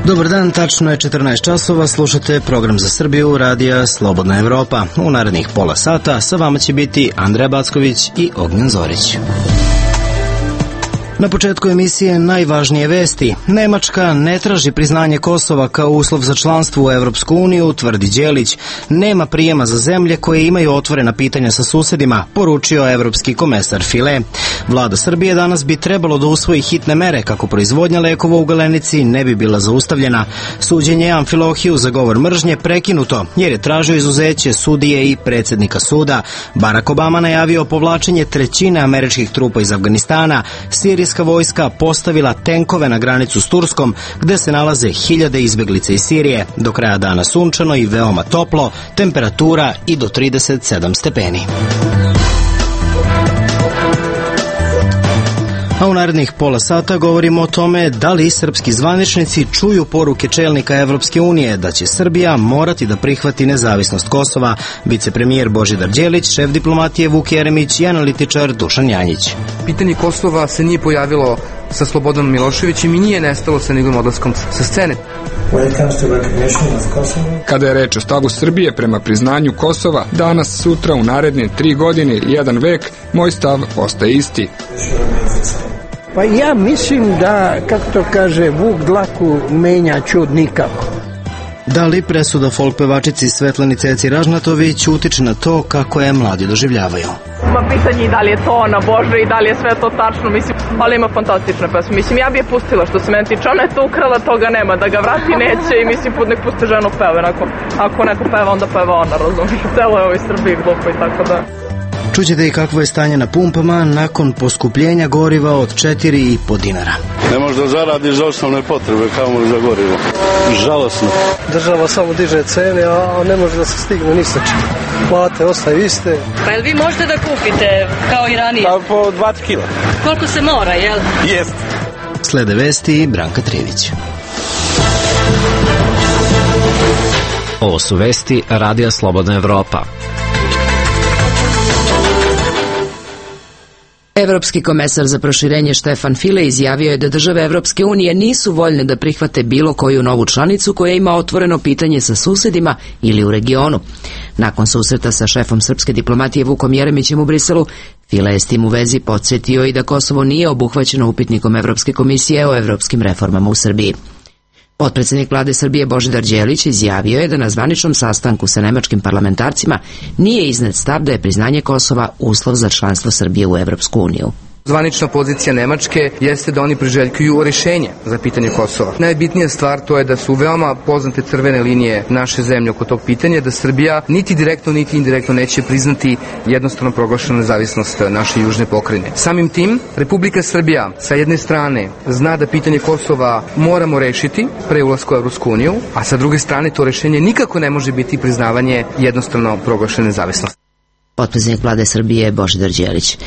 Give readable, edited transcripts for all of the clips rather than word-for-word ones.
Dobar dan, tačno je 14 časova, slušate program za Srbiju, radija Slobodna Evropa. U narednih pola sata sa vama će biti Andreja Backović i Ognjen Zorić. Na početku emisije najvažnije vesti. Nemačka ne traži priznanje Kosova kao uslov za članstvo u Evropsku uniju, tvrdi Đelić. Nema prijema za zemlje koje imaju otvorena pitanja sa susedima, poručio evropski komesar File. Vlada Srbije danas bi trebalo da usvoji hitne mere kako proizvodnja lekova u Galenici ne bi bila zaustavljena. Suđenje Amfilohiju za govor mržnje prekinuto jer je tražio izuzeće sudije i predsjednika suda. Barack Obama najavio povlačenje trećine američkih trupa iz Afganistana. Sirijska vojska postavila tenkove na granicu s Turskom, gde se nalaze hiljade izbeglica iz Sirije. Do kraja dana sunčano i veoma toplo, temperatura i do 37 stepeni. A u narednih pola sata govorimo o tome da li srpski zvaničnici čuju poruke čelnika Evropske unije da će Srbija morati da prihvati nezavisnost Kosova. Vicepremijer Božidar Đelić, šef diplomatije Vuk Jeremić i analitičar Dušan Janjić. Pitanje Kosova se nije pojavilo sa Slobodanom Miloševićem i nije nestalo sa njegovim odlaskom sa scene. Kada je reč o stavu Srbije prema priznanju Kosova, danas, sutra, u naredne 3 godine ili 1 vek, moj stav ostaje isti. Pa ja mislim da, kako to kaže, vuk dlaku menja čud nikako. Da li presuda folk pevačici Svetlani Ceci Ražnatović utiče na to kako je mladi doživljavaju? Pitanje da li je to ona Bože i da li je sve to tačno, mislim, ali ima fantastične pesme. Mislim, ja bi je pustila, što se meni tiče, ona je to ukrala, toga nema, da ga vrati neće i mislim, nek pusti ženu peve, ako neko peva, onda peva ona, razumiješ, celo je ovoj Srbiji glupo i tako da. Čućete i kakvo je stanje na pumpama nakon poskupljenja goriva od 4,5 dinara. Ne možeš da zaradiš za osnovne potrebe, kao za gorivo. Žalosno. Država samo diže cene, a ne može da se stigne ni sa čim. Plate ostaju iste. Pa jel vi možete da kupite kao i ranije? Pa po 20 kila. Koliko se mora, jel? Jest. Slede vesti i Branka Trivić. Ovo su vesti radija Slobodna Evropa. Evropski komesar za proširenje Štefan File izjavio je da države Evropske unije nisu voljne da prihvate bilo koju novu članicu koja ima otvoreno pitanje sa susedima ili u regionu. Nakon susreta sa šefom srpske diplomatije Vukom Jeremićem u Briselu, File je s tim u vezi podsjetio i da Kosovo nije obuhvaćeno upitnikom Evropske komisije o evropskim reformama u Srbiji. Potpredsjednik vlade Srbije Božidar Đelić izjavio je da na zvaničnom sastanku sa nemačkim parlamentarcima nije iznet stav da je priznanje Kosova uslov za članstvo Srbije u Evropsku uniju. Zvanična pozicija Nemačke jeste da oni priželjkuju rešenje za pitanje Kosova. Najbitnija stvar to je da su veoma poznate crvene linije naše zemlje oko tog pitanja, da Srbija niti direktno niti indirektno neće priznati jednostavno proglašenu nezavisnost naše južne pokrajine. Samim tim, Republika Srbija sa jedne strane zna da pitanje Kosova moramo rešiti pre ulaska u Evropsku uniju, a sa druge strane to rešenje nikako ne može biti priznavanje jednostavno proglašene nezavisnosti. Potpredsjednik vlade Srbije Božidar Đelić.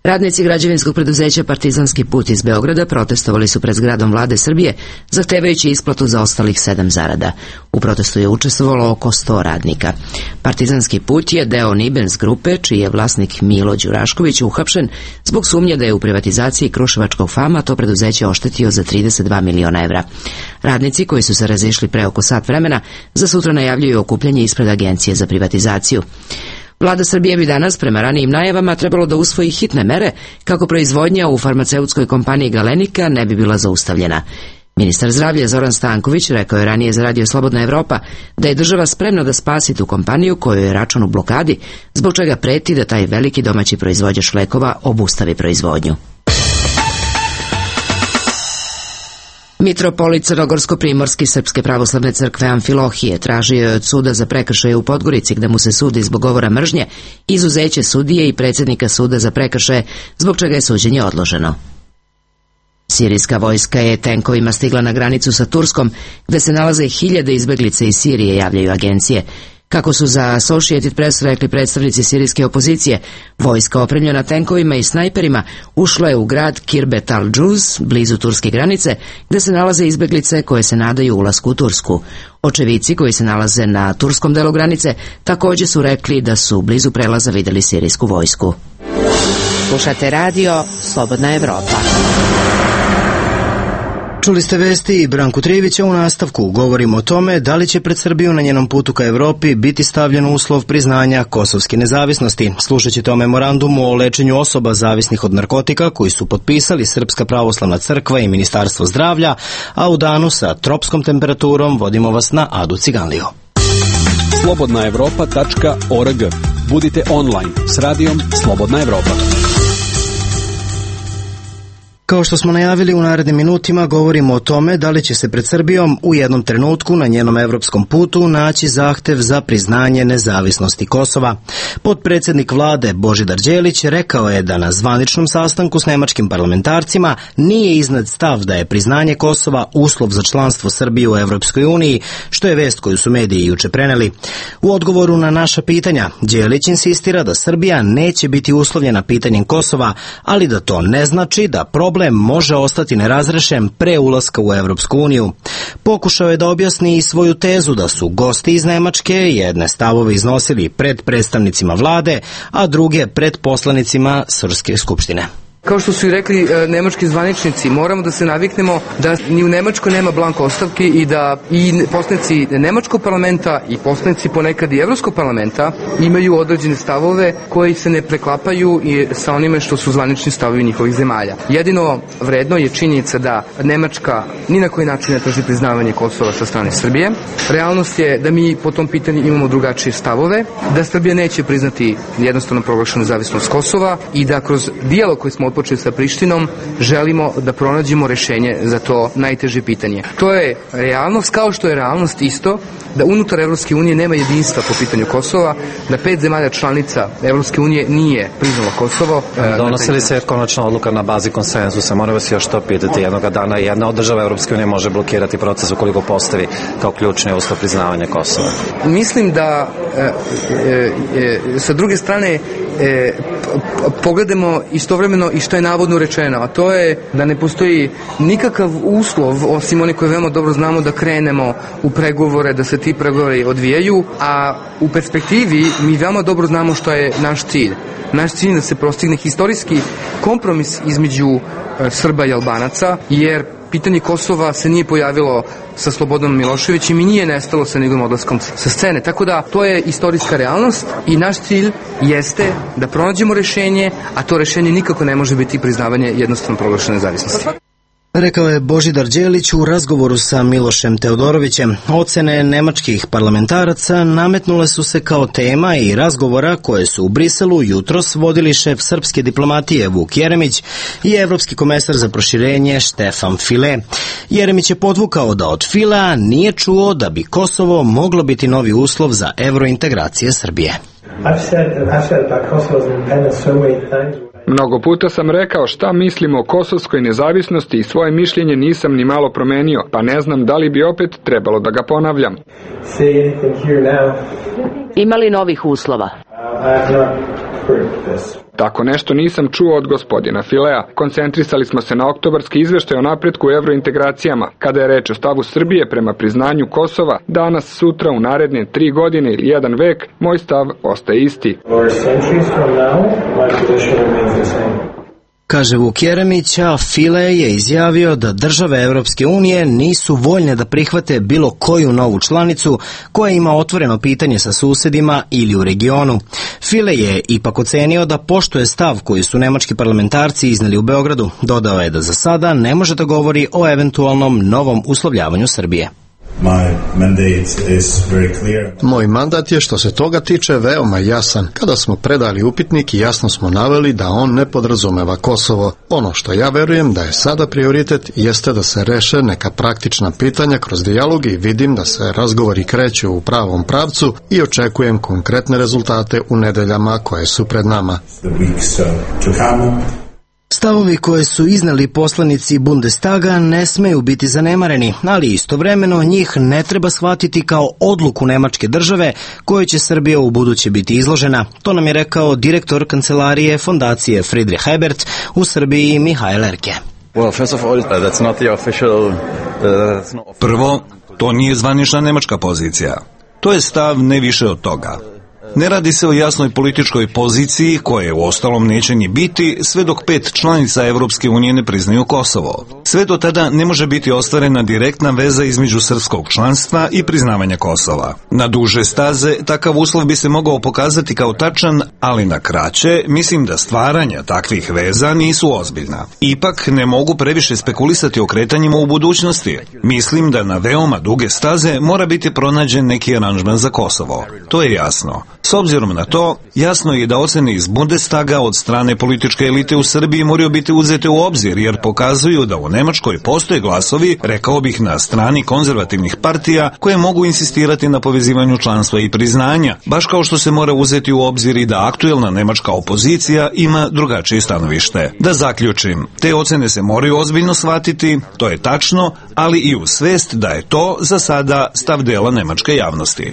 Radnici građevinskog preduzeća Partizanski put iz Beograda protestovali su pred zgradom vlade Srbije, zahtevajući isplatu za ostalih 7 zarada. U protestu je učestvovalo oko 100 radnika. Partizanski put je deo Nibens grupe, čiji je vlasnik Milo Đurašković uhapšen zbog sumnje da je u privatizaciji Kruševačkog FAM-a to preduzeće oštetio za 32 miliona evra. Radnici, koji su se razišli pre oko sat vremena, za sutra najavljuju okupljanje ispred Agencije za privatizaciju. Vlada Srbije bi danas, prema ranijim najavama, trebalo da usvoji hitne mere kako proizvodnja u farmaceutskoj kompaniji Galenika ne bi bila zaustavljena. Ministar zdravlja Zoran Stanković rekao je ranije za radio Slobodna Evropa da je država spremna da spasi tu kompaniju kojoj je račun u blokadi, zbog čega preti da taj veliki domaći proizvođač lekova obustavi proizvodnju. Mitropolit Crnogorsko-primorski Srpske pravoslavne crkve Amfilohije tražio je od suda za prekršaje u Podgorici, gde mu se sudi zbog govora mržnje, izuzeće sudije i predsjednika suda za prekršaje, zbog čega je suđenje odloženo. Sirijska vojska je tenkovima stigla na granicu sa Turskom, gde se nalaze hiljade izbeglice iz Sirije, javljaju agencije. Kako su za Associated Press rekli predstavnici sirijske opozicije, vojska opremljena tenkovima i snajperima ušla je u grad Kirbet al-Džuz, blizu turske granice, gde se nalaze izbeglice koje se nadaju ulasku u Tursku. Očevici koji se nalaze na turskom delu granice također su rekli da su blizu prelaza vidjeli sirijsku vojsku. Slušate radio Slobodna Evropa. Čuli ste vesti i Branku Trivića. U nastavku govorimo o tome da li će pred Srbiju na njenom putu ka Evropi biti stavljen uslov priznanja kosovske nezavisnosti. Slušat ćete o memorandumu o lečenju osoba zavisnih od narkotika koji su potpisali Srpska pravoslavna crkva i Ministarstvo zdravlja, a u danu sa tropskom temperaturom vodimo vas na Adu Ciganliju. Slobodnaevropa.org. Budite online s radijom Slobodna Evropa. Kao što smo najavili, u narednim minutima govorimo o tome da li će se pred Srbijom u jednom trenutku na njenom evropskom putu naći zahtev za priznanje nezavisnosti Kosova. Potpredsjednik vlade Božidar Đelić rekao je da na zvaničnom sastanku s nemačkim parlamentarcima nije iznad stav da je priznanje Kosova uslov za članstvo Srbije u Evropskoj uniji, što je vest koju su mediji juče preneli. U odgovoru na naša pitanja, Đelić insistira da Srbija neće biti uslovljena pitanjem Kosova, ali da to ne znači da problem može ostati nerazrešen pre ulaska u Evropsku uniju. Pokušao je da objasni i svoju tezu da su gosti iz Nemačke jedne stavove iznosili pred predstavnicima vlade, a druge pred poslanicima Srpske skupštine. Kao što su i rekli nemački zvaničnici, moramo da se naviknemo da ni u Nemačkoj nema blanko ostavki i da i poslanici nemačkog parlamenta i poslanici ponekad i Evropskog parlamenta imaju određene stavove koji se ne preklapaju i sa onime što su zvanični stavovi njihovih zemalja. Jedino vredno je činjenica da Nemačka ni na koji način ne traži priznavanje Kosova sa strane Srbije. Realnost je da mi po tom pitanju imamo drugačije stavove, da Srbija neće priznati jednostavno proglašenu nezavisnost Kosova i da kroz dijalog koji smo otpočeli sa Prištinom, želimo da pronađemo rešenje za to najteže pitanje. To je realnost, kao što je realnost isto da unutar Evropske unije nema jedinstva po pitanju Kosova, da 5 zemalja članica Evropske unije nije priznalo Kosovo. Donosi li se konačna odluka na bazi konsenzusa? Moram vas još to pitati. Jednoga dana jedna od država Evropske unije može blokirati proces ukoliko postavi kao ključni uslov priznavanja Kosova. Mislim da sa druge strane pogledamo istovremeno i što je navodno rečeno, a to je da ne postoji nikakav uslov, osim oni koji veoma dobro znamo, da krenemo u pregovore, da se ti pregovori odvijaju, a u perspektivi mi veoma dobro znamo što je naš cilj. Naš cilj je da se postigne historijski kompromis između Srba i Albanaca, jer pitanje Kosova se nije pojavilo sa Slobodanom Miloševićem i nije nestalo sa njegovim odlaskom sa scene. Tako da to je istorijska realnost i naš cilj jeste da pronađemo rešenje, a to rešenje nikako ne može biti priznavanje jednostavno proglašene nezavisnosti. Rekao je Božidar Đelić u razgovoru sa Milošem Teodorovićem. Ocene nemačkih parlamentaraca nametnule su se kao tema i razgovora koje su u Briselu jutros vodili šef srpske diplomatije Vuk Jeremić i evropski komesar za proširenje Štefan File. Jeremić je podvukao da od Filea nije čuo da bi Kosovo moglo biti novi uslov za evrointegracije Srbije. Mnogo puta sam rekao šta mislim o kosovskoj nezavisnosti i svoje mišljenje nisam ni malo promenio, pa ne znam da li bi opet trebalo da ga ponavljam. Ima li novih uslova? Tako nešto nisam čuo od gospodina Filea. Koncentrisali smo se na oktobarski izveštaj o napretku u evrointegracijama. Kada je reč o stavu Srbije prema priznanju Kosova, danas, sutra, u naredne 3 godine ili 1 vek, moj stav ostaje isti. Kaže Vuk Jeremić, a File je izjavio da države Evropske unije nisu voljne da prihvate bilo koju novu članicu koja ima otvoreno pitanje sa susedima ili u regionu. File je ipak ocenio da poštuje stav koji su nemački parlamentarci izneli u Beogradu. Dodao je da za sada ne može da govori o eventualnom novom uslovljavanju Srbije. Moj mandat je što se toga tiče veoma jasan. Kada smo predali upitnik, jasno smo naveli da on ne podrazumeva Kosovo. Ono što ja verujem da je sada prioritet jeste da se reše neka praktična pitanja kroz dijalog i vidim da se razgovori kreću u pravom pravcu i očekujem konkretne rezultate u nedeljama koje su pred nama. Stavovi koje su iznali poslanici Bundestaga ne smeju biti zanemareni, ali istovremeno njih ne treba shvatiti kao odluku nemačke države koje će Srbija u buduće biti izložena. To nam je rekao direktor kancelarije fondacije Friedrich Ebert u Srbiji Mihail Erke. Prvo, to nije zvanična nemačka pozicija. To je stav ne više od toga. Ne radi se o jasnoj političkoj poziciji, koje uostalom neće ni biti sve dok 5 članica Evropske unije ne priznaju Kosovo. Sve do tada ne može biti ostvarena direktna veza između srpskog članstva i priznavanja Kosova. Na duže staze takav uslov bi se mogao pokazati kao tačan, ali na kraće mislim da stvaranja takvih veza nisu ozbiljna. Ipak ne mogu previše spekulisati o kretanjima u budućnosti. Mislim da na veoma duge staze mora biti pronađen neki aranžman za Kosovo. To je jasno. S obzirom na to, jasno je da ocene iz Bundestaga od strane političke elite u Srbiji moraju biti uzete u obzir, jer pokazuju da u Nemačkoj postoje glasovi, rekao bih na strani konzervativnih partija, koje mogu insistirati na povezivanju članstva i priznanja, baš kao što se mora uzeti u obzir i da aktuelna nemačka opozicija ima drugačije stanovište. Da zaključim, te ocene se moraju ozbiljno shvatiti, to je tačno, ali i u svest da je to za sada stav dela nemačke javnosti.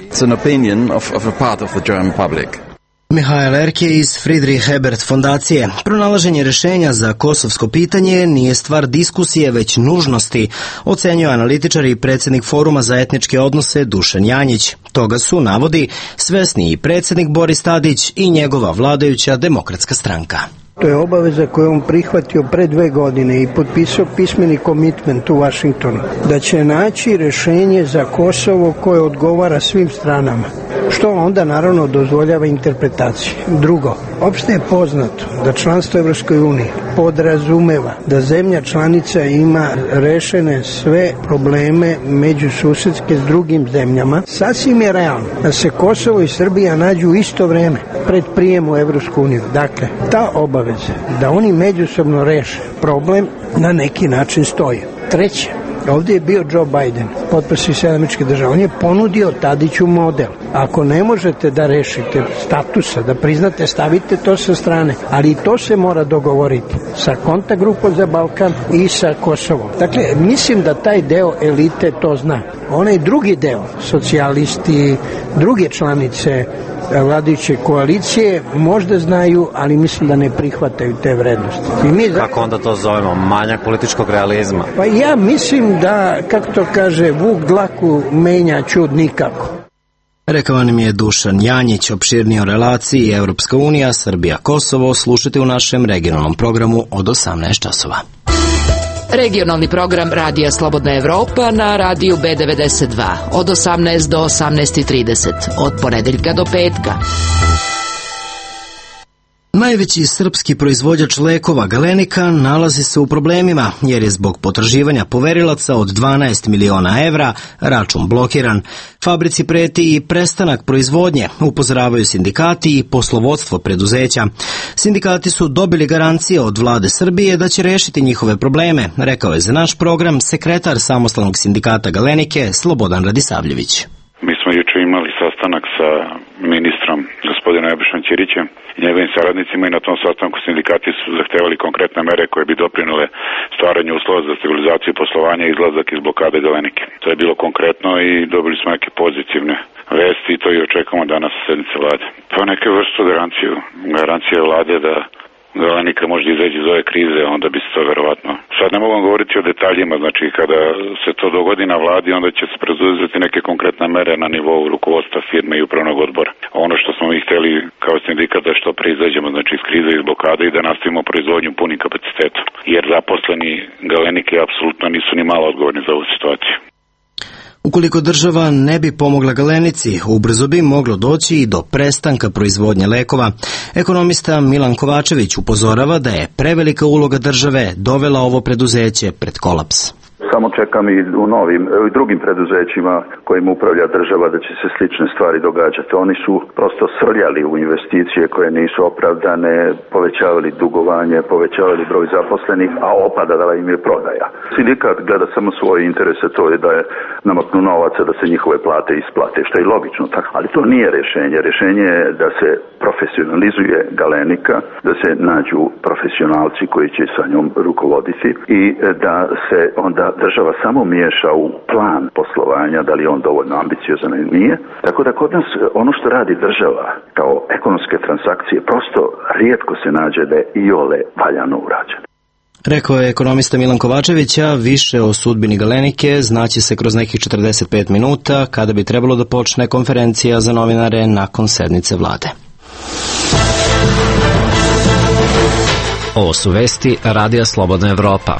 Mihael Erke iz Friedrich Ebert fondacije. Pronalaženje rješenja za kosovsko pitanje nije stvar diskusije, već nužnosti, ocenjuje analitičar i predsjednik Foruma za etničke odnose Dušan Janjić. Toga su, navodi, svesni i predsjednik Boris Tadić i njegova vladajuća Demokratska stranka. To je obaveza koju on prihvatio pre 2 godine i potpisao pismeni komitment u Vašingtonu, da će naći rješenje za Kosovo koje odgovara svim stranama, što onda naravno dozvoljava interpretaciju. Drugo, opšte je poznato da članstvo Evropskoj uniji podrazumeva da zemlja članica ima rešene sve probleme međususedske s drugim zemljama. Sasvim je realno da se Kosovo i Srbija nađu u isto vreme pred prijem u Evropsku uniju. Dakle, ta obaveza da oni međusobno reše problem na neki način stoji. Treće, ovdje je bio Joe Biden, potpredsjednik Američkih država. On je ponudio Tadiću model. Ako ne možete da rešite statusa, da priznate, stavite to sa strane. Ali i to se mora dogovoriti sa kontakt grupom za Balkan i sa Kosovom. Dakle, mislim da taj deo elite to zna. Onaj drugi deo, socijalisti, druge članice vladajuće koalicije možda znaju, ali mislim da ne prihvataju te vrednosti. Kako onda to zovemo? Manjak političkog realizma? Pa ja mislim da, kako to kaže, vuk dlaku menja čud nikako. Rekao nam je Dušan Janjić. Opširnije o relaciji Evropska unija, Srbija, Kosovo slušajte u našem regionalnom programu od 18 časova. Regionalni program Radija Slobodna Evropa na radiju B92 od 18 do 18:30 od ponedeljka do petka. Najveći srpski proizvođač lekova Galenika nalazi se u problemima jer je zbog potraživanja poverilaca od 12 miliona evra račun blokiran. Fabrici preti i prestanak proizvodnje, upozoravaju sindikati i poslovodstvo preduzeća. Sindikati su dobili garancije od vlade Srbije da će rešiti njihove probleme, rekao je za naš program sekretar samostalnog sindikata Galenike Slobodan Radisavljević. Mi smo juče imali sastanak sa ministrom gospodinom Nebojšom Ćirićem i njegovim saradnicima i na tom sastanku sindikati su zahtevali konkretne mere koje bi doprinule stvaranju uslova za stabilizaciju poslovanja i izlazak iz blokade Galenike. To je bilo konkretno i dobili smo neke pozitivne vesti i to i očekujemo danas na sednici vlade. Pa neke vrstu garancije vlade da Galenika možda izađe iz ove krize, onda bi se to verovatno. Sad ne mogu govoriti o detaljima, znači kada se to dogodi na vladi, onda će se preduzeti neke konkretne mere na nivou rukovodstva firme i upravnog odbora. Ono što smo mi hteli kao sindikat da što pre izađemo, znači iz krize i iz blokade i da nastavimo proizvodnju punim kapacitetom. Jer zaposleni Galenike apsolutno nisu ni malo odgovorni za ovu situaciju. Ukoliko država ne bi pomogla Galenici, ubrzo bi moglo doći i do prestanka proizvodnje lekova. Ekonomista Milan Kovačević upozorava da je prevelika uloga države dovela ovo preduzeće pred kolaps. Samo čekam i u drugim preduzećima kojim upravlja država da će se slične stvari događati. Oni su prosto srljali u investicije koje nisu opravdane, povećavali dugovanje, povećavali broj zaposlenih, a opadala im je prodaja. Sindikat gleda samo svoje interese, to je da je namaknu novaca da se njihove plate isplate, što je logično, ali to nije rješenje. Rješenje je da se profesionalizuje Galenika, da se nađu profesionalci koji će sa njom rukovoditi i da se onda država samo miješa u plan poslovanja, da li je on dovoljno ambiciozan ili nije. Tako da kod nas ono što radi država kao ekonomske transakcije prosto rijetko se nađe da je iole valjano urađeno. Rekao je ekonomista Milan Kovačević, a više o sudbini Galenike znaće se kroz nekih 45 minuta, kada bi trebalo da počne konferencija za novinare nakon sednice vlade. Ovo su vesti Radija Slobodna Evropa.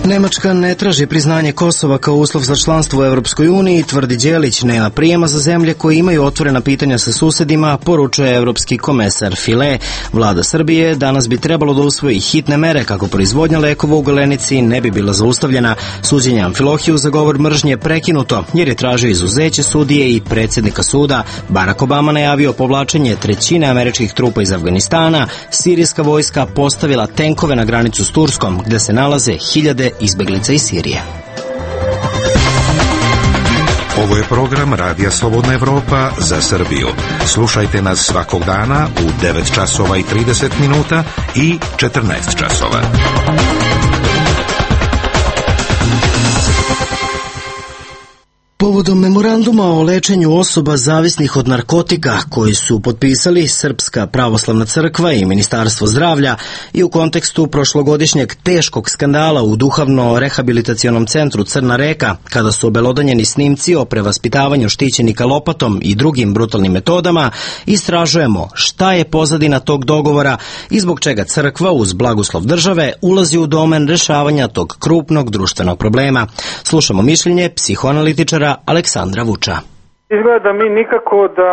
Nemačka ne traži priznanje Kosova kao uslov za članstvo u Evropskoj uniji, tvrdi Đelić, nema prijema za zemlje koje imaju otvorena pitanja sa susedima, poručuje evropski komesar File. Vlada Srbije danas bi trebalo da usvoji hitne mere kako proizvodnja lekova u Galenici ne bi bila zaustavljena. Suđenje Amfilohiju za govor mržnje prekinuto, jer je tražio izuzeće sudije i predsjednika suda. Barack Obama najavio povlačenje trećine američkih trupa iz Afganistana, sirijska vojska postavila tenkove na granicu s Turskom, gde se nalaze hiljade izbeglica iz Sirije. Ovo je program Radija Slobodna Evropa za Srbiju. Slušajte nas svakog dana u 9 časova i 30 minuta i 14 časova. Povodom memoranduma o lečenju osoba zavisnih od narkotika koji su potpisali Srpska pravoslavna crkva i Ministarstvo zdravlja i u kontekstu prošlogodišnjeg teškog skandala u duhovno-rehabilitacionom centru Crna Reka, kada su obelodanjeni snimci o prevaspitavanju štićenika lopatom i drugim brutalnim metodama, istražujemo šta je pozadina tog dogovora i zbog čega crkva uz blagoslov države ulazi u domen rešavanja tog krupnog društvenog problema. Slušamo mišljenje psihoanalitičara Aleksandra Vuča. Izgleda da mi nikako da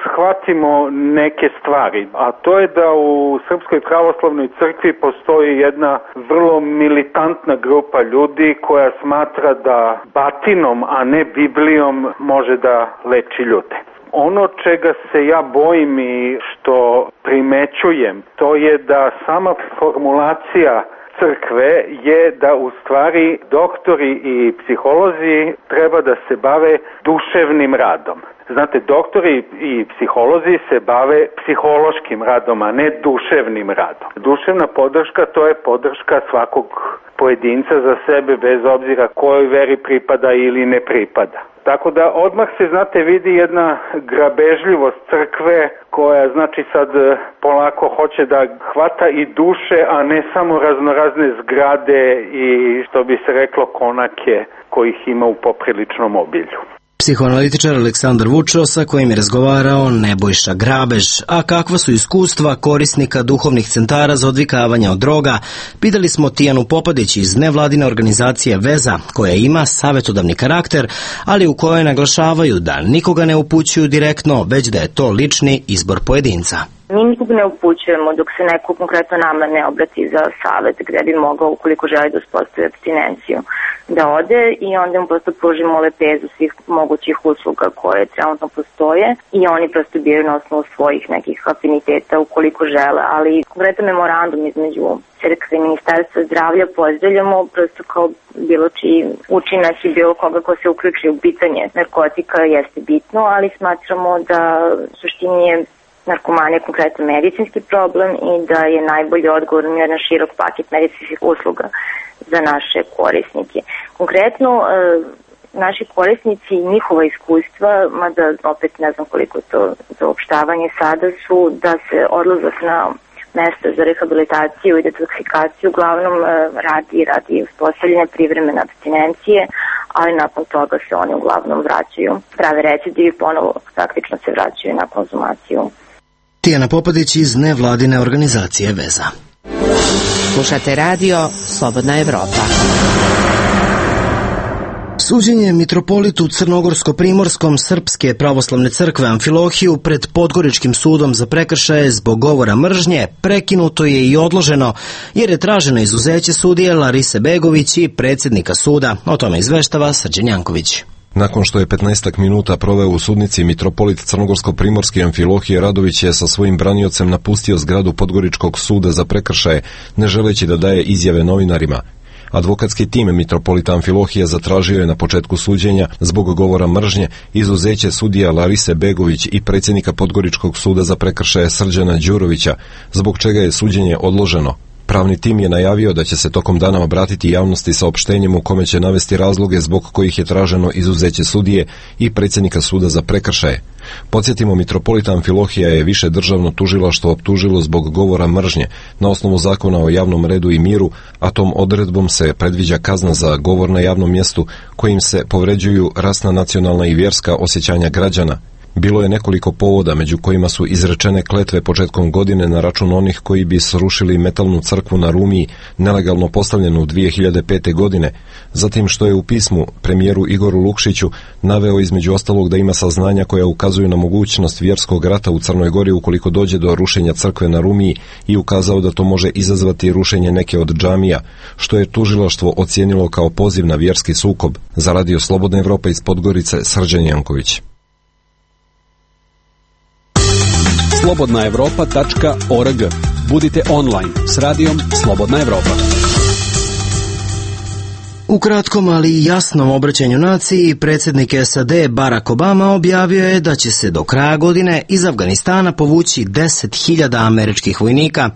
shvatimo neke stvari, a to je da u Srpskoj pravoslavnoj crkvi postoji jedna vrlo militantna grupa ljudi koja smatra da batinom, a ne Biblijom može da leči ljude. Ono čega se ja bojim i što primećujem, to je da sama formulacija crkve je da u stvari doktori i psiholozi treba da se bave duševnim radom. Znate, doktori i psiholozi se bave psihološkim radom, a ne duševnim radom. Duševna podrška, to je podrška svakog pojedinca za sebe, bez obzira kojoj veri pripada ili ne pripada. Tako da odmah se, znate, vidi jedna grabežljivost crkve koja, znači, sad polako hoće da hvata i duše, a ne samo raznorazne zgrade i, što bi se reklo, konake kojih ima u popriličnom obilju. Psihoanalitičar Aleksandar Vučo, sa kojim je razgovarao Nebojša Grabež. A kakva su iskustva korisnika duhovnih centara za odvikavanje od droga? Pitali smo Tijanu Popadić iz nevladine organizacije Veza, koja ima savjetodavni karakter, ali u kojoj naglašavaju da nikoga ne upućuju direktno, već da je to lični izbor pojedinca. Mi nikog ne upućujemo dok se neko konkretno nama ne obrati za savjet gde bi mogao, ukoliko želi da uspostavi apstinenciju, da ode i onda mu prosto pružimo lepezu svih mogućih usluga koje trenutno postoje i oni prosto biraju na osnovu svojih nekih afiniteta ukoliko žele, ali konkretan memorandum između crkve i Ministarstva zdravlja pozdravljamo prosto kao bilo čiji učinak i bilo koga ko se uključi u pitanje narkotika jeste bitno, ali smatramo da u suštini je narkomanija konkretno medicinski problem i da je najbolji odgovor na jedan širok paket medicinskih usluga za naše korisnike. Konkretno, naši korisnici i njihova iskustva, mada opet ne znam koliko je to zaopštavanje sada, su da se odlazak na mesto za rehabilitaciju i detoksikaciju uglavnom radi uspostavljene privremene apstinencije, ali nakon toga se oni uglavnom vraćaju, prave recidiv i ponovo praktično se vraćaju na konzumaciju. Tijana Popadić iz nevladine organizacije Veza. Slušate radio Slobodna Evropa. Suđenje mitropolitu Crnogorsko-primorskom Srpske pravoslavne crkve Amfilohiju pred Podgoričkim sudom za prekršaje zbog govora mržnje prekinuto je i odloženo, jer je traženo izuzeće sudije Larise Begović i predsjednika suda. O tome izveštava Srđan Janković. Nakon što je 15 minuta proveo u sudnici, mitropolit Crnogorsko-primorski Amfilohije Radović je sa svojim braniocem napustio zgradu Podgoričkog suda za prekršaje, ne želeći da daje izjave novinarima. Advokatski tim mitropolita Amfilohije zatražio je na početku suđenja zbog govora mržnje izuzeće sudija Larise Begović i predsjednika Podgoričkog suda za prekršaje Srđana Đurovića, zbog čega je suđenje odloženo. Pravni tim je najavio da će se tokom dana obratiti javnosti saopštenjem u kome će navesti razloge zbog kojih je traženo izuzeće sudije i predsjednika suda za prekršaje. Podsjetimo, mitropolita Amfilohija je više državno tužilaštvo optužilo zbog govora mržnje na osnovu zakona o javnom redu i miru, a tom odredbom se predviđa kazna za govor na javnom mjestu kojim se povređuju rasna, nacionalna i vjerska osjećanja građana. Bilo je nekoliko povoda, među kojima su izrečene kletve početkom godine na račun onih koji bi srušili metalnu crkvu na Rumiji, nelegalno postavljenu 2005. godine, zatim što je u pismu premijeru Igoru Lukšiću naveo između ostalog da ima saznanja koja ukazuju na mogućnost vjerskog rata u Crnoj Gori ukoliko dođe do rušenja crkve na Rumiji i ukazao da to može izazvati rušenje neke od džamija, što je tužilaštvo ocijenilo kao poziv na vjerski sukob. Za Radio Slobodna Evropa iz Podgorice, Srđan Janković. slobodnaevropa.org. Budite online s radijom Slobodna Evropa. U kratkom, ali jasnom obraćanju naciji, predsjednik SAD Barack Obama objavio je da će se do kraja godine iz Afganistana povući 10.000 američkih vojnika.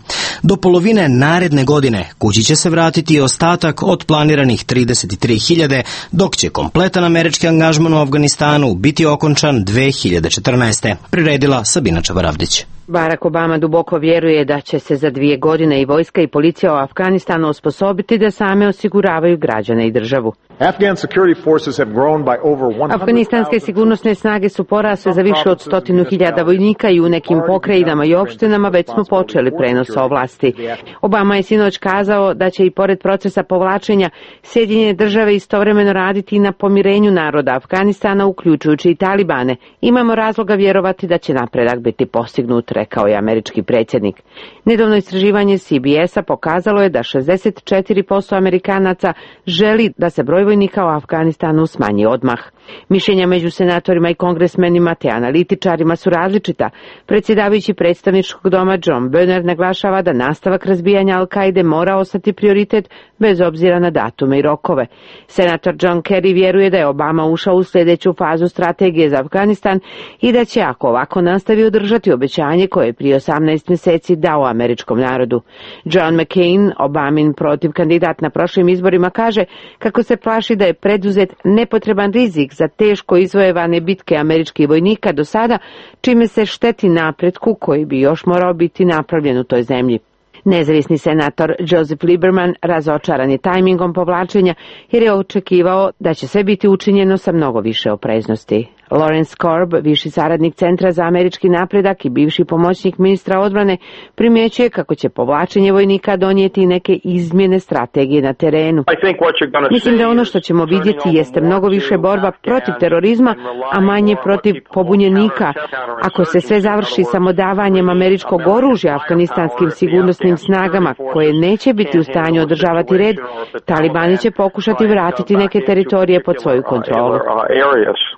Do polovine naredne godine kući će se vratiti ostatak od planiranih 33.000, dok će kompletan američki angažman u Afganistanu biti okončan 2014. Priredila Sabina Čabaravdić. Barack Obama duboko vjeruje da će se za 2 godine i vojska i policija u Afganistanu osposobiti da same osiguravaju građane i državu. Afganistanske sigurnosne snage su porasle za više od 100.000 vojnika i u nekim pokrajinama i opštinama već smo počeli prenos ovlasti. Obama je sinoć kazao da će i pored procesa povlačenja Sjedinjene države istovremeno raditi i na pomirenju naroda Afganistana, uključujući i Talibane. Imamo razloga vjerovati da će napredak biti postignut, rekao je američki predsjednik. Nedavno istraživanje CBS-a pokazalo je da 64% Amerikanaca želi da se broj vojnika u Afganistanu smanji odmah. Mišljenja među senatorima i kongresmenima te analitičarima su različita. Predsjedavajući predstavničkog doma John Boehner naglašava da nastavak razbijanja Al-Kaide mora ostati prioritet bez obzira na datume i rokove. Senator John Kerry vjeruje da je Obama ušao u sljedeću fazu strategije za Afganistan i da će, ako ovako nastavi, održati obećanje koje je prije 18 mjeseci dao američkom narodu. John McCain, Obamin protiv kandidat na prošlim izborima, kaže kako se plaši da je preduzet nepotreban rizik za teško izvojevane bitke američkih vojnika do sada, čime se šteti napretku koji bi još morao biti napravljen u toj zemlji. Nezavisni senator Joseph Lieberman razočaran je tajmingom povlačenja jer je očekivao da će sve biti učinjeno sa mnogo više opreznosti. Lawrence Korb, viši saradnik Centra za američki napredak i bivši pomoćnik ministra odbrane, primjećuje kako će povlačenje vojnika donijeti neke izmjene strategije na terenu. Mislim da ono što ćemo vidjeti jeste mnogo više borba protiv terorizma, a manje protiv pobunjenika. Ako se sve završi samodavanjem američkog oružja afganistanskim sigurnosnim snagama koje neće biti u stanju održavati red, Talibani će pokušati vratiti neke teritorije pod svoju kontrolu.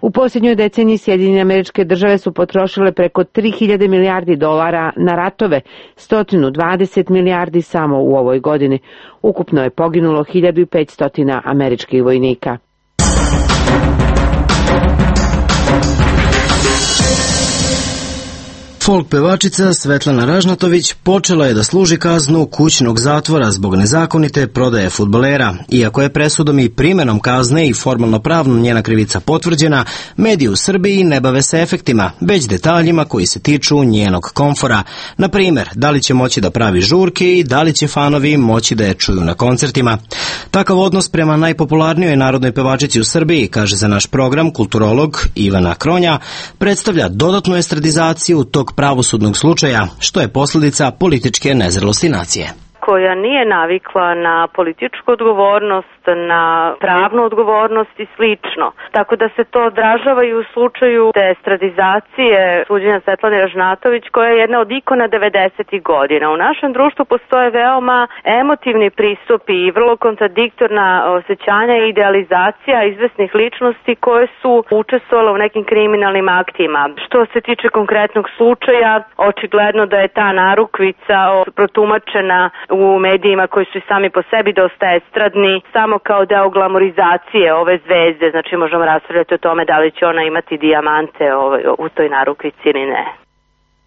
U posljednjoj deceniji Sjedinjene Američke Države su potrošile preko 3.000 milijardi dolara na ratove, 120 milijardi samo u ovoj godini. Ukupno je poginulo 1.500 američkih vojnika. Folk pevačica Svetlana Ražnatović počela je da služi kaznu kućnog zatvora zbog nezakonite prodaje fudbalera. Iako je presudom i primjenom kazne i formalno pravno njena krivica potvrđena, mediji u Srbiji ne bave se efektima, već detaljima koji se tiču njenog komfora. Na primjer, da li će moći da pravi žurke i da li će fanovi moći da je čuju na koncertima. Takav odnos prema najpopularnijoj narodnoj pevačici u Srbiji, kaže za naš program kulturolog Ivana Kronja, predstavlja dodatnu estradizaciju tog pravosudnog slučaja, što je posljedica političke nezrelosti nacije. Koja nije navikla na političku odgovornost, na pravnu odgovornost i slično. Tako da se to odražava i u slučaju te estradizacije suđenja Svetlane Ražnatović, koja je jedna od ikona 90. godina. U našem društvu postoje veoma emotivni pristupi i vrlo kontradiktorna osjećanja i idealizacija izvesnih ličnosti koje su učestvovale u nekim kriminalnim aktima. Što se tiče konkretnog slučaja, očigledno da je ta narukvica protumačena u medijima koji su i sami po sebi dosta estradni, samo kao deo glamorizacije ove zvezde. Znači možemo raspravljati o tome da li će ona imati dijamante u toj narukvici ili ne.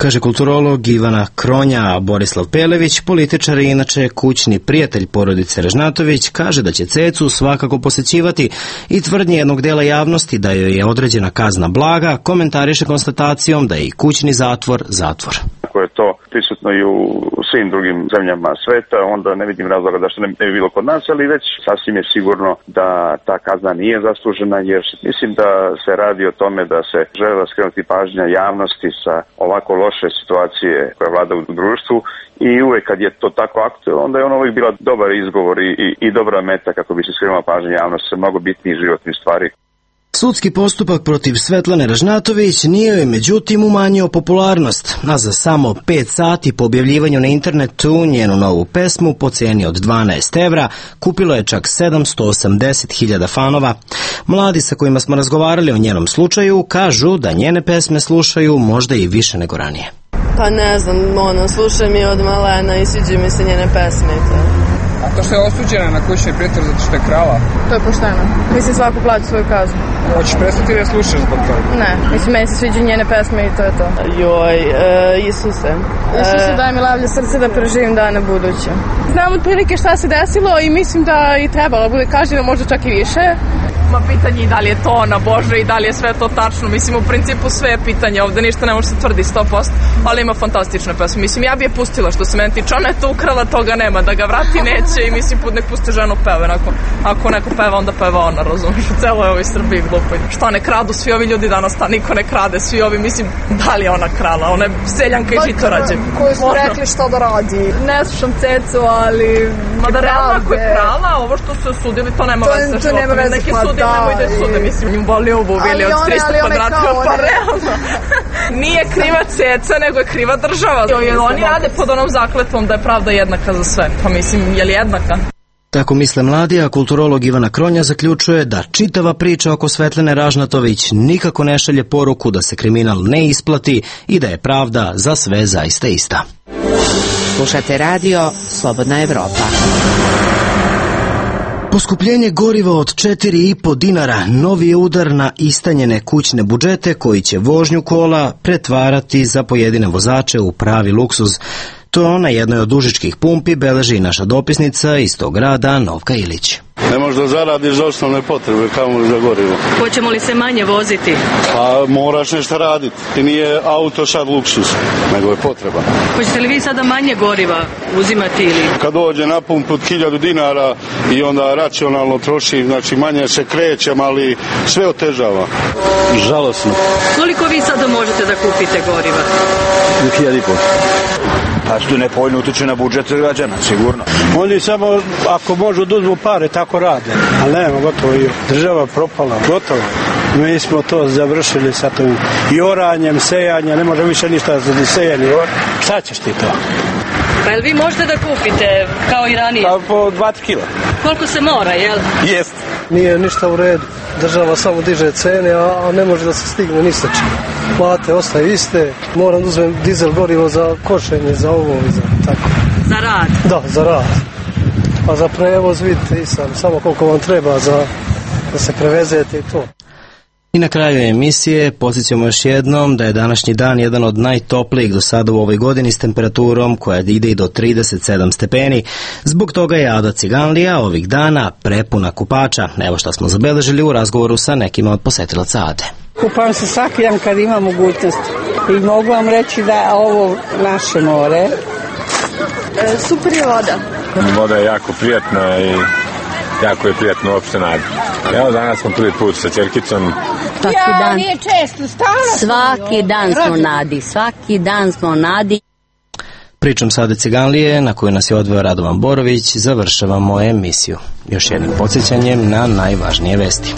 Kaže kulturolog Ivana Kronja, a Borislav Pelević, političar i inače kućni prijatelj porodice Ražnatović, kaže da će Cecu svakako posećivati i tvrdnje jednog dela javnosti da joj je određena kazna blaga, komentariše konstatacijom da je i kućni zatvor zatvor. Ako je to prisutno i u svim drugim zemljama sveta, onda ne vidim razloga da što ne bi bilo kod nas, ali već sasvim je sigurno da ta kazna nije zaslužena, jer mislim da se radi o tome da se žele skrenuti pažnja javnosti sa ovako loše situacije koja vlada u društvu i uvek kad je to tako aktuelno, onda je ono uvijek bila dobar izgovor i dobra meta kako bi se skrenula pažnja javnosti sa mnogo bitnijih životnih stvari. Sudski postupak protiv Svetlane Ražnatović nije joj međutim umanjio popularnost, a za samo 5 sati po objavljivanju na internetu njenu novu pesmu po ceni od 12 evra kupilo je čak 780.000 fanova. Mladi sa kojima smo razgovarali o njenom slučaju kažu da njene pesme slušaju možda i više nego ranije. Pa ne znam, slušam je od malena i sviđaju mi se njene pesme i to. A to što je osuđena na kućni pritvor zato što je krala? To je pošteno. Mislim, svako plaća svoju kaznu. Hoćeš prestati da slušaš zbog toga? Ne, mislim, meni se sviđaju njene pesme i to je to. Isuse. Isuse, daj mi lavlje srce da preživim dane buduće. Znam otprilike šta se desilo i mislim da i trebalo bude kažnjeno, možda čak i više. Ma pitanje i da li je to ona Bože i da li je sve to tačno. Mislim, u principu sve je pitanje. Ovde ništa ne može se tvrdi 100%, ali ima fantastične pesme. Mislim, ja bi je pustila što se meni tiče. Ona je to ukrala, toga nema. Da ga vrati neće i mislim, nek pusti ženu peve. Ako neko peva, onda peva ona, razumiješ. U celoj ovoj Srbiji glupo. Šta ne kradu svi ovi ljudi danas, niko ne krade. Svi ovi, mislim, da li je ona krala? Ona je seljanka i žitorađe. Koji su rekli šta da radi. Ne slušam Cecu, ali... Ma da realno ako je krala, ovo što su osudili, to nema veze. To nema veze. Nemoj da sude, mislim, im boli ovu bili od 300 kvadrata, pa realno. Nije kriva Ceca, nego je kriva država. Oni rade pod onom zakletvom da je pravda jednaka za sve. Pa mislim, je li jednaka? Tako misle mladi, a kulturolog Ivana Kronja zaključuje da čitava priča oko Svetlane Ražnatović nikako ne šalje poruku da se kriminal ne isplati i da je pravda za sve zaista ista. Slušate radio Slobodna Evropa. Poskupljenje goriva od 4,5 dinara novi je udar na istanjene kućne budžete koji će vožnju kola pretvarati za pojedine vozače u pravi luksuz. To na jednoj od užičkih pumpi beleži i naša dopisnica iz tog grada Novka Ilić. Ne možeš da zaradiš za osnovne potrebe, kao za gorivo. Hoćemo li se manje voziti? Pa moraš nešto raditi. I nije auto sad luksus, nego je potreba. Hoćete li vi sada manje goriva uzimati ili? Kad dođe na pumpu od 1000 dinara i onda racionalno troši, znači manje se krećem, ali sve otežava. Žalosno. Koliko vi sada možete da kupite goriva? 1.500. Pa što nepovoljno utiče na budžet građana, sigurno. Oni samo, ako može da uzmu pare, tako rade. Ali nema, gotovo i država propala, gotovo. Mi smo to završili sa tom i oranjem, sejanjem, ne može više ništa za sejanje. Šta ćeš ti to? Pa jel vi možete da kupite kao i ranije? Pa po 20 kila. Koliko se mora, jel? Jest. Nije ništa u redu. Država samo diže cene, a ne može da se stigne ni sa čim. Plate ostaju iste. Moram da uzmem dizel gorivo za košenje, za ovo i za tako. Za rad? Da, za rad. A za prevoz vidite i samo koliko vam treba da se prevezete i to. I na kraju emisije podsjećamo još jednom da je današnji dan jedan od najtoplijih do sada u ovoj godini s temperaturom koja ide i do 37 stepeni. Zbog toga je Ada Ciganlija ovih dana prepuna kupača. Evo šta smo zabeležili u razgovoru sa nekima od posetilaca Ade. Kupam se svaki dan kad imam mogućnost i mogu vam reći da je ovo naše more. Super je voda. Voda je jako prijatna i jako je prijatno uopšte nadi. Evo danas smo prvi put sa ćerkicom. Nije često, svaki dan smo nadi. Pričom Sade Ciganlije, na koju nas je odveo Radovan Borović, završavamo emisiju. Još jednim podsjećanjem na najvažnije vesti.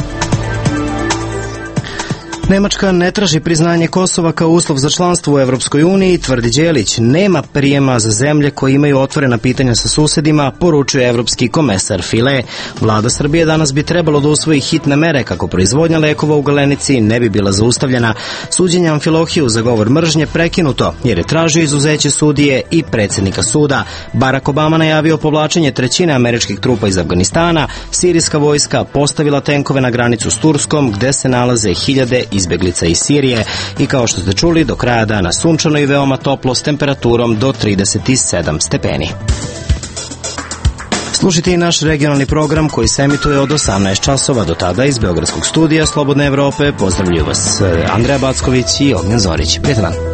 Nemačka ne traži priznanje Kosova kao uslov za članstvo u Evropskoj uniji, tvrdi Đelić. Nema prijema za zemlje koje imaju otvorena pitanja sa susedima, poručuje evropski komesar File. Vlada Srbije danas bi trebalo da usvoji hitne mere kako proizvodnja lekova u Galenici ne bi bila zaustavljena. Suđenje Amfilohiju za govor mržnje prekinuto, jer je tražio izuzeće sudije i predsjednika suda. Barack Obama najavio povlačenje 1/3 američkih trupa iz Afganistana. Sirijska vojska postavila tenkove na granicu s Turskom, gde se nalaze hiljade izbeglica iz Sirije i kao što ste čuli, do kraja dana sunčano i veoma toplo s temperaturom do 37 stepeni. Slušajte i naš regionalni program koji se emituje od 18 časova. Do tada iz Beogradskog studija Slobodne Evrope pozdravljuju vas Andreja Backović i Ognjen Zorić. Prijetan dan.